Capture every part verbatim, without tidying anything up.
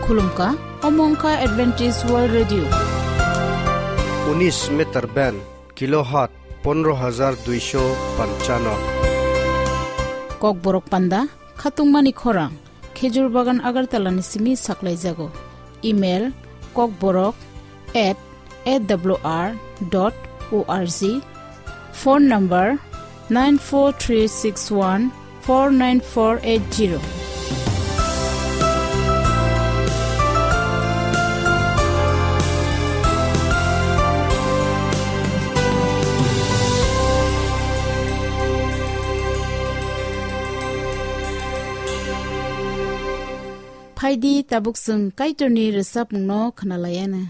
Khulumkha, omo wngkha Adventist World Radio. Unis meter band, kilohertz pondro hajar duisho panchano. Kokborok panda, khatungmani khorang, Khejur Bagan Agartala ni simi saklaijago. Email, kokborok at A W R dot O R G. Phone number nine four three six one four nine four eight zero. Phaidi tabuk chwng Kaitorni rwchapmungno khwnalaiana.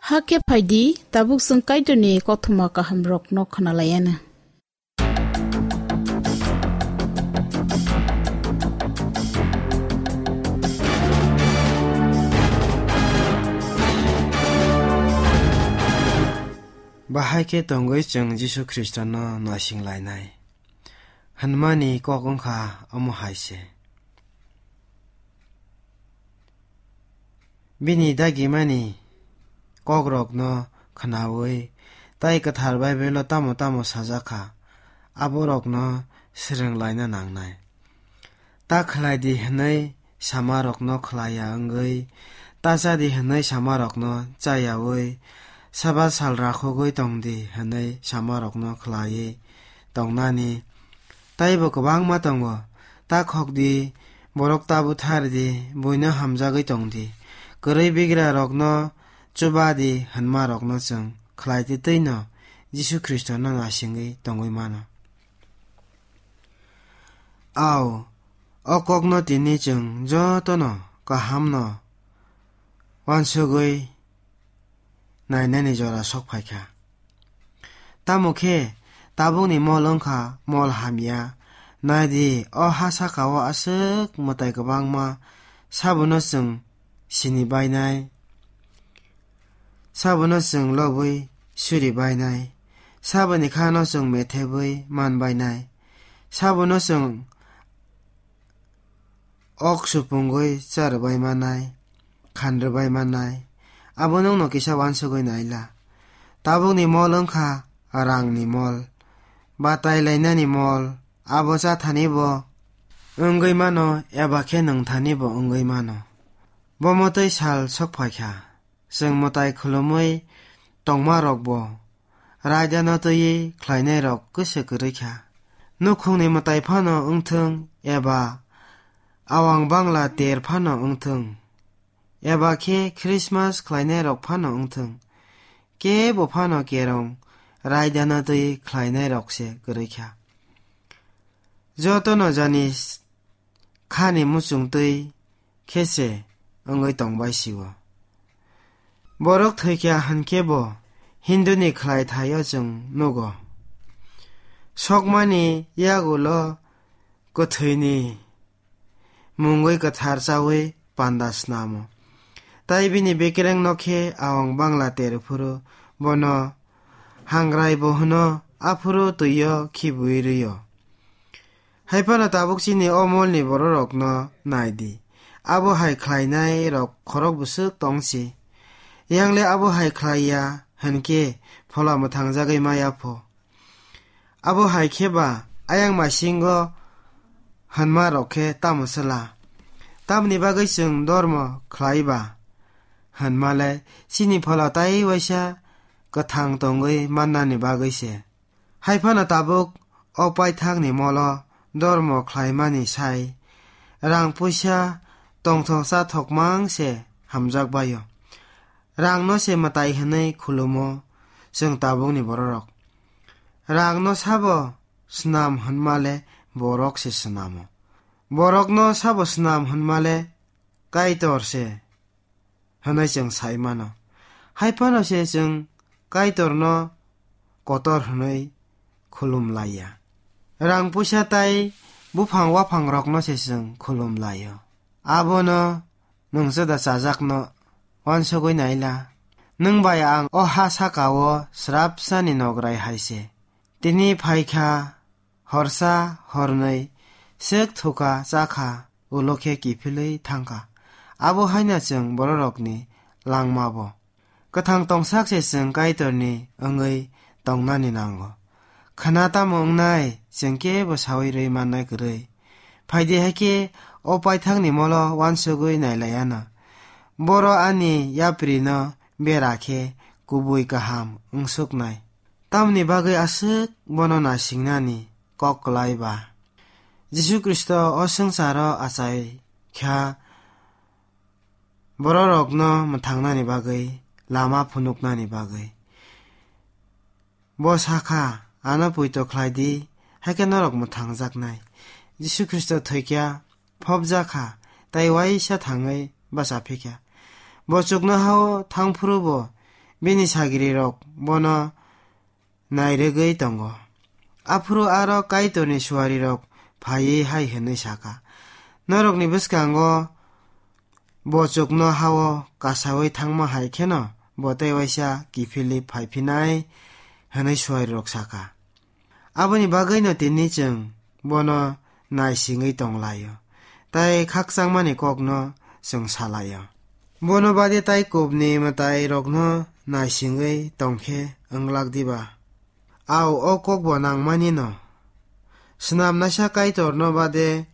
Hakhe phaidi, tabuk chwng Kaitorni kothoma kahamrokno khwnalaianw. Bahai khe tongwi chwng Jisu Khristono naising lainai hwnmani kok wngkha omo hai se. Bini dagimani kokrokno khwnaui tei kwthar Baibelo tamo tamo sajak kha, aborokno swrwng laina nangnai. Ta khlai di hwnwi samarokno khlai ya wngwi, ta cha di hwnwi samarokno cha yaui, saba sal rakhogwi tong di hwnwi samarokno khlaiwi tongnani teibo kwbangma tongo. Ta khok di, borok ta buthar di, buino hamjagwi tong di, kwrwi bigrarokno chuba di hwnmarokno chwng khlai di twino Jisu Khristono naisingwi tongwi mano. Ao, o kokno tini chwng jotono kahamno uansugwi nainani jora sok phaikha. Tamo khe tabukni mol wngkha mol hamya. Nai di, o ha sakao aswk mwtai kwbangma, sabono chwng sini bainai, sabono chwng lobwi suri bainai, saboni khano chwng methebwi man bainai, sabono chwng ok supungwi cha rwbai manai, khan rwbai manai, abo nwngno kisa uansugwi naila. Tabukni mol wngkha rangni mol, batai lainani mol, abo cha thani bo wngwi mano eba khe nwng thani bo wngwi mano. Bo mwtwi sal sok phaikha, chwng mwtai khulumwi tongmarokbo raidano twiwi khlainairok kwse kwrwi kha. Nukhungni mwtai phano wngthwng eba awang bangla ter phano wngthwng, eba khe Christmas khlainairok phano wngthwng, kebo phano kerong raidano twiwi khlainairok se kwrwi kha. Jotono jani khani muchung twi khe se wngwi tongbai sio. Borok thwikha hwnkhe bo Hinduni khlai thaio chwng nugo. Sokmani yagulo kwthwini mungwi kwthar chawi panda snamo. Tai bini bekereng no khe awang bangla ter phuru bono hangrai bo hwno, aphuru twio khibui rwio. Hai phano tabuk chini o molni bororokno nai di. Abo hai khlainairok khorok bwswk tong si. Yang le abo hai khlai ya hwn khe phola mwthang jagwi ma ya pho. Abo hai khe ba ayang masingo hwnma rok khe tamo swla? Tamni bagwi chwng dormo khlai ba hwnma le chini phola tai waisa kwthang tongwi mannani bagwi se. Hai phano tabuk o paithakni molo dormo khlaimani sai rang puisa tongthok chathok mang se hamjak baio. Rangno se mwtai hwnwi khulumo chwng tabukni bororok. Rangno sabo snam hwnma le borok se snamo. Borokno sabo snam hwnma le Kaitor se hwnwi chwng sai mano. Hai phano se chwng Kaitorno kotor hwnwi khulum laiya. Rang puisa tai buphang waphangrokno se chwng khulum laio. Abono nwng chwda chajakno uansugwi naila. Nwng bai ang o ha saka-o srapsani nograi hai se. Tini phai kha, horsa hornwi sek thuka chakha, ulo khe kiphilwi thangkha. Abo haino chwng bororokni langmabo. Kwthang tongsak se chwng Kaitorni wngwi tongnani nango. Khwna tamo wngnai, chwng kebo saui rwi mannai kwrwi. Phaidi hai khe o paithakni molo uansugwi nailaiano. Boro ani yaprino bera khe kubui kaham wngsuknai. Tamni bagwi aswk bono naisingnani kok kwlai ba? Jisu Khristo o swngcharo achai kha bororokno mwthangnani bagwi, lama phunuknani bagwi. Bo sa kha, "Ano poito khlai di, hai khe norok mwthangjaknai." Jisu Khristo thwi kha, phobjak kha, tei uaisa thangwi bacha phi kha. Bo chuknoha-o thang phuru bo bini sagrirok bono nairwgwi tongo. Aphuru aro Kaitorni suarirok phaiwi hai hwnwi saka, "Norokni bwskango bo chukno hao kasaui thangma hai kheno bo tei waisa kiphilwi phaiphinai," hwnwi suarirok saka. Aboni bagwino tini chwng bono naisingwi tonglaio, tei khakchangmani kokno chwng salaio. Bono bade tei kubni mwtairokno naisingwi tongkhe wnglak diba? Au, o kokbo nangmani no. Snamnaisa Kaitorno bade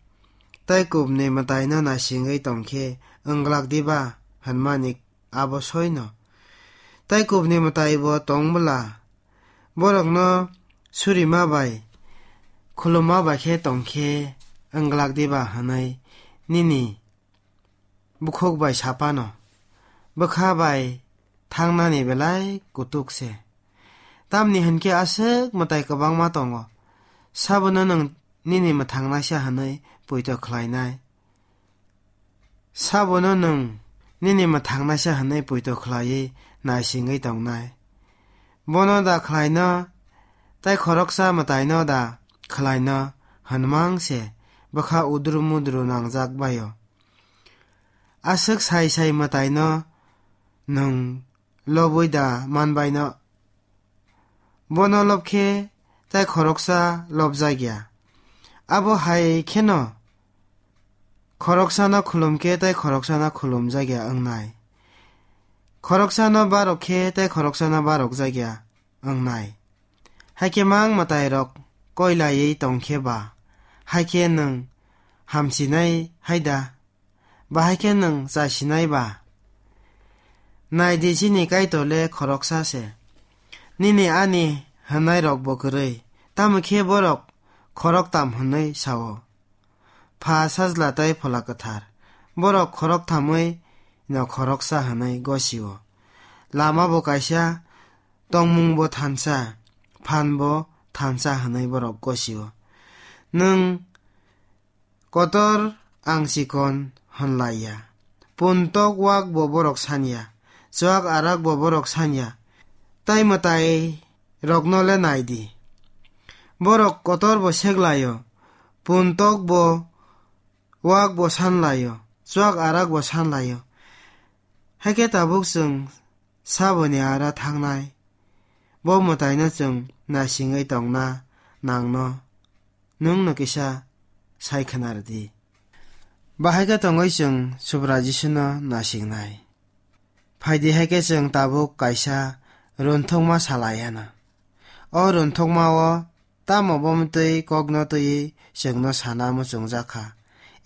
tei kubni mwtaino naisingwi tongkhe wnglak diba hwnmani abo soino. Tei kubni mwtaibo tong bwla, borokno surima bai, khulumma bai khe tongkhe wnglak diba hwnwi nini bukhuk bai sapano, bwkha bai thangnani belai kutuk se. Tamni hwn khe aswk mwtai kwbangma tongo, sabono nwng nini mwthangnaisa hwnwi poito khlainai. Sabono nwng nini mwthangnaisa hwnwi poito khlaiwi naisingwi tongnai. Bono da khlaino, tei khoroksa mwtaino da khlaino hwnmang se bwkha udru mudru nangjak baio. Aswk sai sai mwtaino nwng lobwi da manbaino? Bono lobkhe tei khoroksa lobjakya. Abo hai kheno khoroksano khulumkhe tei khoroksano khulumjakya wngnai. Khoroksano barok khe tei khoroksano barokjakya wngnai. Haikhe mang mwtairok koilaiwi tongkhe ba, haikhe nwng hamsinai hai da? Bahai khe nwng chasinai ba? Nai di, chini Kaitor le khoroksa se. Nini ani hwnnairok bo kwrwi, tamo khe borok khoroktam hwnwi sa-o. Pha, Sajla tei Phola Kwthar. Borok khoroktham-wi no khoroksa hwnwi gosi-o. Lama bo kaisa, tongmung bo thansa, phan bo thansa hwnwi borok gosi-o. Nwng kotor ang chikon hwnlaiya. Puntok wak bo borok sanya, chuak arak bo borok sanya, tai mwtai rokno le nai di. Borok kotor bo seklaio, puntok bo wak bo sanlaio, chuak arak bo sanlaio. Haikhe tabuk chwng saboni ara thangnai. Bo mwtaino chwng naisingwi tongna nangno, nwng no kisa sai khwna rwdi. Bahai khe tongwi chwng Subrai Jisuno naisingnai. Phaidi, haikhe chwng tabuk kaisa runthokma salai anw. O runthokmao tamo bomtwi kokno twiwi chwngno sana muchungjak kha,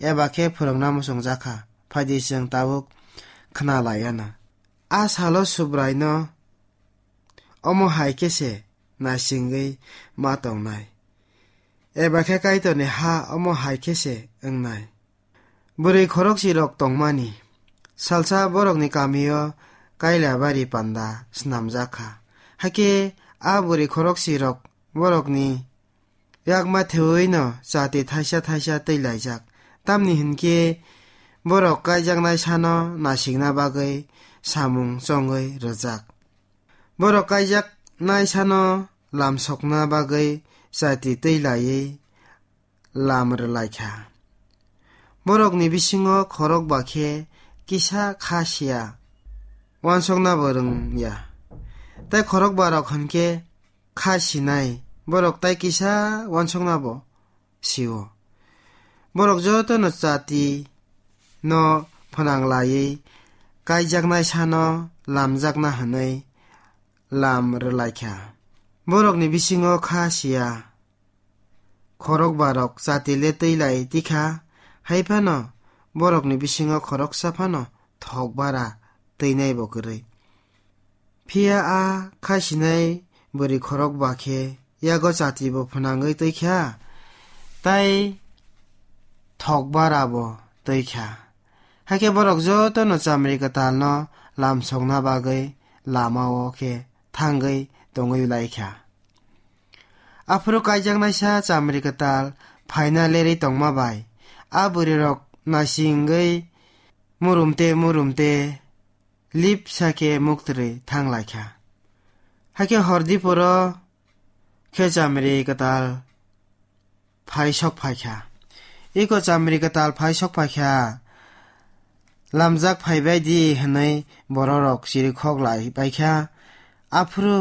eba khe phwrwngna muchungjak kha. Phaidi, chwng tabuk khna lai anw. A salo Subraino omo hai khe se naisingwi ma tongnai, eba khe Kaitorni ha omo hai khe se wngnai. Bwrwi khoroksirok tongmani. Salsa borokni kamio kailabari panda snamjak kha. Hakhe a bwrwi khoroksirok borokni yakma thewino chati thaisa thaisa twi laijak. Tamni hwn khe borok kaijaknai sano nasikna bagwi samung chongwi rwjak. Borok kaijaknai sano lamsokna bagwi chati twi laiwi lam rwlai kha. Borokni bisingo khorokba khe kisa kha siya, uansukna bo rwngya. Tai khorokbarok hwn khe kha sinai, borok tai kisa uansukna bo sio. Borok jotono chati no phwnang laiwi kaijaknai sano lamjakna hwnwi lam rwlai kha. Borokni bisingo kha siya khorokbarok chati le twi lai tikha, hai phano borokni bisingo khoroksa phano thok bara twinai bo kwrwi. Phiya a kha sinai bwrwi khorokba khe yago chati bo phwnangwi twi kha, tai thok bara bo twi kha. Hakhe borok jotono chamri kwtalno lamsokna bagwi lamao khe thangwi tongwi lai kha. Aphuru kaijaknaisa chamri kwtal phaina lerwi tongma bai a bwrwirok naisingwi murumte murumte lip sa khe muktrwi thang lai kha. Hakhe hor diporo khe chamri kwtal phai sok phai kha. Iko chamri kwtal phai sok phai kha. Lamjak phai bai di hwnwi bororok chirikhok lai bai kha. Aphuru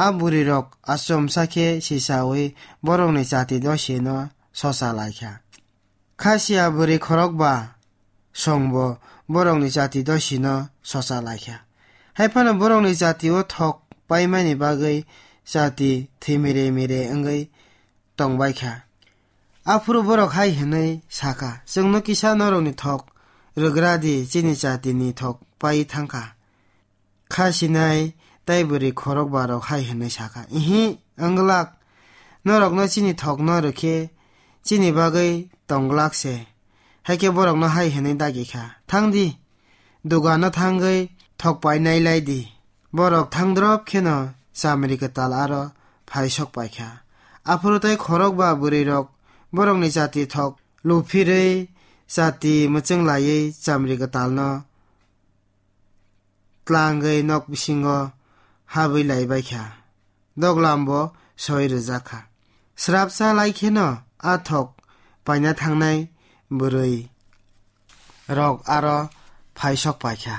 a bwrwirok achomsa khe sisaui borokni chati dosino socha lai kha. Kha sia bwrwi khorokba songbo borokni chati dosino socha lai kha. Hai phano borokni chati o thok paimani bagwi chati thwi mire mire wngwi tong bai kha. Aphuru borok hai hwnwi sa kha, "Chwngno kisa norokni thok rwgra di, chini chati ni thok pai thang kha." Kha sinai tai bwrwi khorokba rok hai hwnwi sa kha, "Ihi, wng glak, norokno chini thokno rw khe chini bagwi tong glak se." Hai khe borokno hai hwnwi dagi kha, "Thang di, dugano thangwi thok painai lai di." Borok thang drop kheno chamri kwtal aro phai sok pai kha. Aphuru tai khorokba bwrwi rok borokni chati thok luphirwi chati mwchwng laiwi chamri kwtalno tlangwi nok bisingo habwi lai bai kha. Doglam bo soi rwjak kha. Srapsa lai kheno a thok paina thangnai bwrwi rok aro phai sok pai kha,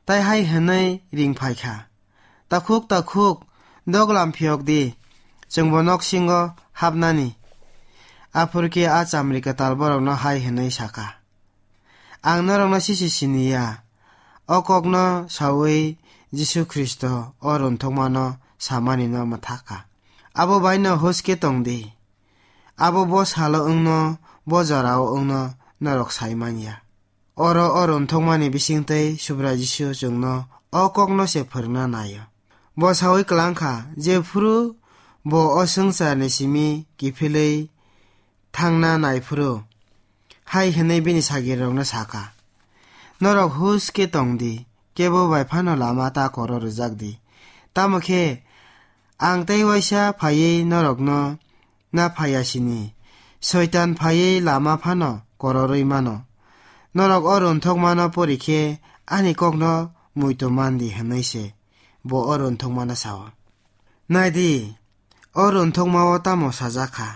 tai hai hwnwi ring phai kha, "Takhuk, takhuk, doglam phiyok di, chwngbo nok singo hapnani." Aphuru khe a chamri kwtal borokno hai hwnwi sa kha, "Ang norokno sisi sini ya, o kokno saui Jisu Khristo o runthokmano samanino mwthak kha. Abo baino huske tong di. Abo bo salo wngno, bo jorao wngno norok sai man ya. Oro o runthokmani bisingtwi Subrai Jisu chwngno o kokno se phwrwngna nai-o." Bo saui klang kha, jephuru bo o swngcharni simi kiphilwi thangna nai phuru, hai hwnwi bini sagirokno sa kha, "Norok huske tong di, kebo bai phano lama ta koro rwjak di. Tamo khe ang tei waisa phaiwi norokno na phaiya sini, Soitan phaiwi lama phano kororwi mano. Norok o runthokmano pori khe ani kokno muitu man di," hwnwi se bo o runthokmano sa-o. Nai di, o runthokmao tamo sajak kha?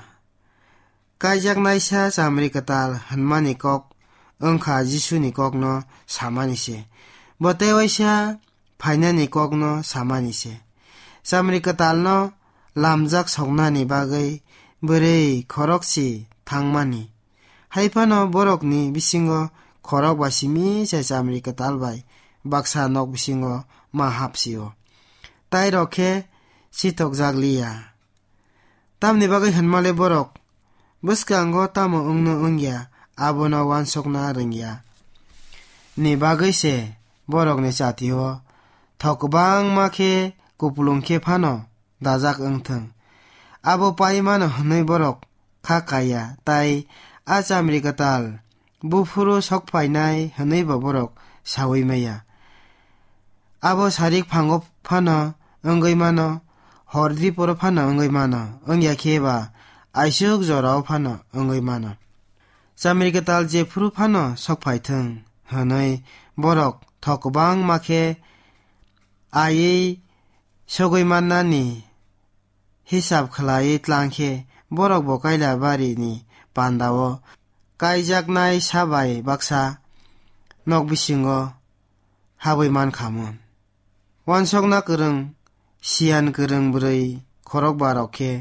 Kaijaknaisa chamri kwtal hwnmani kok wng kha Jisuni kokno samani se. Bo tei waisa phainani kokno samani se. Chamri kwtalno lamjak soknani bagwi bwrwi khorokchi thangmani. Hai phano borokni bisingo khorokba simi se chamri kwtal bai baksa nok bisingo ma hapsi-o. Tai rok khe sithokjak liya. Tamni bagwi hwnmale borok bwskango tamo wngno wngya, abono uansukna rwngya ni bagwi se borokni chati-o thok kwbangma khe kupulung khe phano dajak wngthwng. Abo pai mano hwnwi borok kha kaiya, tai a chamri kwtal buphuru sok phainai hwnwi bo borok saui maya. Abo sarik phango phano wngwi mano, hor diporo phano wngwi mano, wngya khe ba aisuk jorao phano wngwi mano. Chamri kwtal jephuru phano sok phaithwng hwnwi borok thok kwbangma khe aiwi sogwi mannani hisab khlaiwi tlang khe, borok bo kaila barini pandao kaijaknai sa bai baksa nok bisingo habwi man kha mun. Uansukna kwrwng, siyan kwrwng bwrwi khorokba rok khe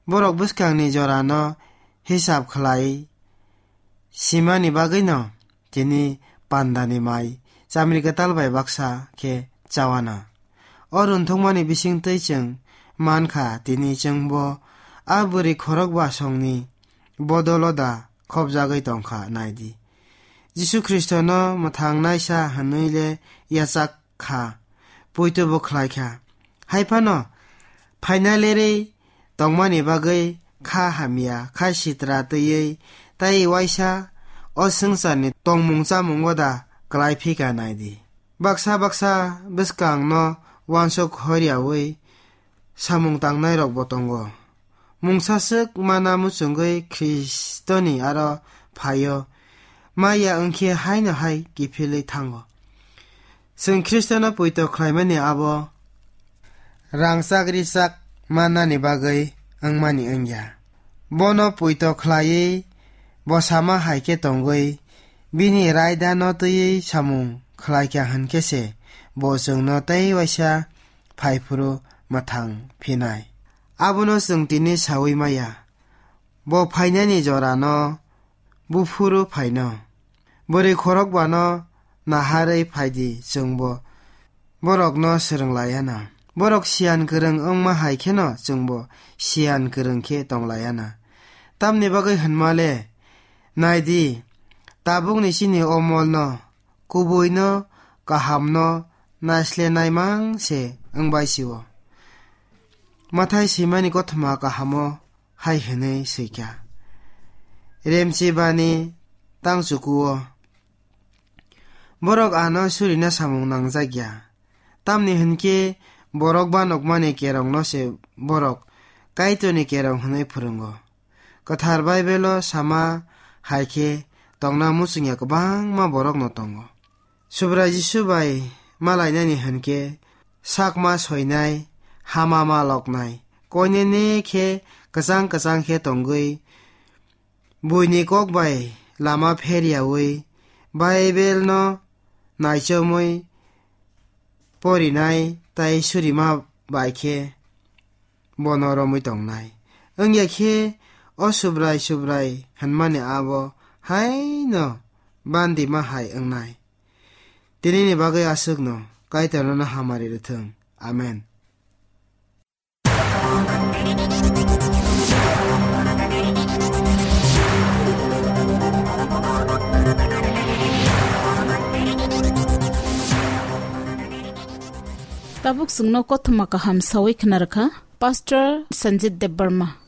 borok bwskangni jorano hisab khlai simani bagwino tini pandani mai chamri kwtal bai baksa khe chawana. O runthokmani bisingtwi chwng man kha, tini chwngbo a bwrwi khorokba songni bodolo da khopjagwi tong kha, nai di. Jisu Khristono mwthangnaisa hwnwi le yachak kha, poito bo khlai kha. Hai phano phaina lerwi tongmani bagwi kha hamya, kha sitra twiwi tai waisa o swngcharni tongmung chamungo da klai phi kha, nai di. Baksa baksa bwskangno uansuk horiyaui samung tangnai rokbo tongo. Mungsa swk mana muchungwi Khristoni aro phaio, maya wngkhe haino hai kiphilwi thango. Chwng Khristono poito khlaimani abo rangchak richak mannani bagwi wngmani wngya. Bono poito khlaiwi bo sama hai khe tongwi bini raidano twiwi samung khlaikha hwn khe se bo chwngno tei waisa phaiphuru mwthang phinai. Abono chwng tini saui maya. Bo phainani jorano buphuru phaino. Bwrwi khorokbano naharwi phaidi chwngbo borokno swrwng laiana. Borok siyan kwrwng wngma hai kheno chwngbo siyan kwrwng khe tong laiana. Tamni bagwi hwnma le, naidi, tabukni chini o molno, kubuino, kahamno naislenai mang se wngbai sio. Mathai swimani kothoma kahamo hai hwnwi swikha, Remchibani tangchukuo borok ano surina samung nangjak ya. Tamni hwn khe borok ba nukmani kerongno se borok Kaitorni kerong hwnwi phwrwngo. Kwthar Baibelo sama hai khe tongna muchungya kwbangma borokno tongo. Subrai Jisu bai malainani hwn khe sakma soinai, hama ma loknai, koinene khe kwchang kwchang khe tongwi, buini kok bai lama pheriaui, Baibelno naichomwi porinai tei surima bai khe bono romwi tongnai. Wngya khe o Subrai Subrai hwnmani abo haino bandima hai wngnai. Tinini bagwi aswkno Kaitorno hamari rwthwng. Amen. Tabuk chwngno kothoma kaham sawi khna rwkha Pastor Sanjit Debbarma.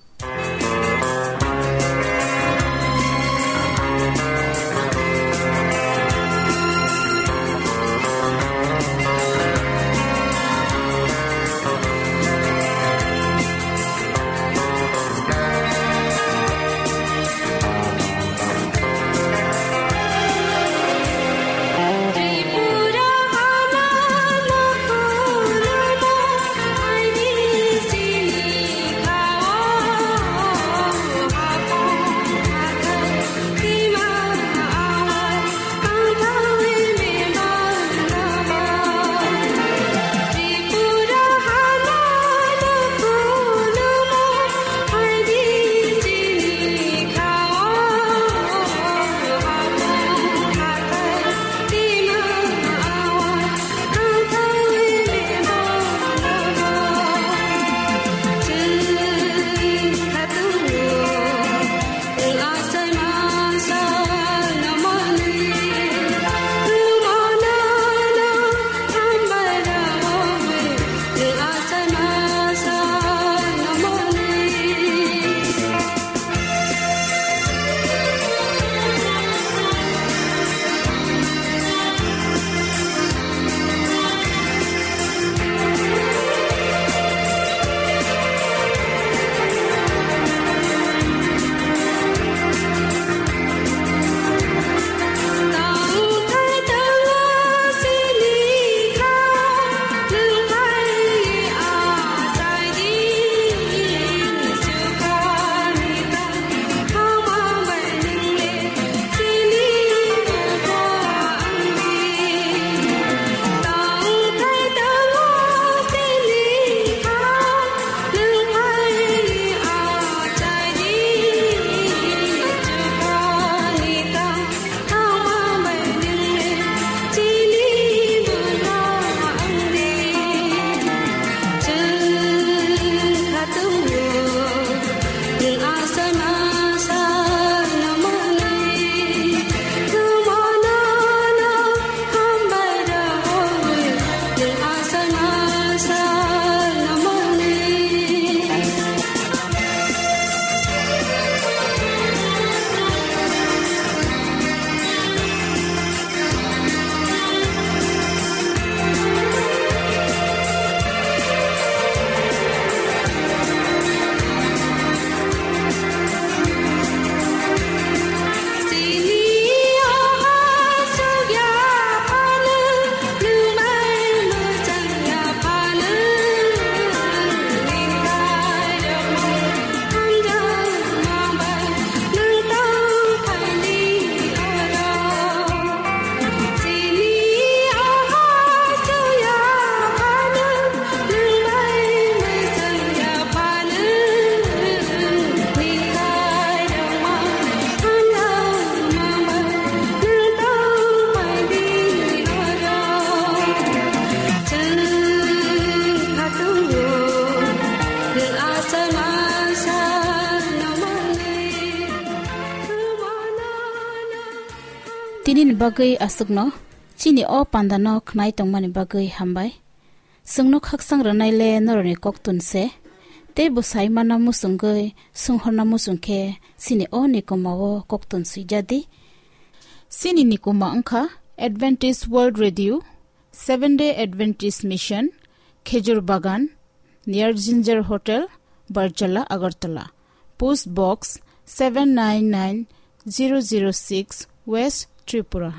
Nini bagwi aswkno chini o pandano khnai tongmani bagwi hambai. Chwngno khaksang rwnaile norokni koktun se. Tei bwsai mana muchungwi, swnghorna muchung khe chini o nikuma o koktun swijadi. Chini nikuma wngkha Adventist World Radio, Seventh Day Adventist Mission, Khejur Bagan, near Ginger Hotel, Barjala, Agartala. Post Box seven nine nine zero zero six, West Tripura.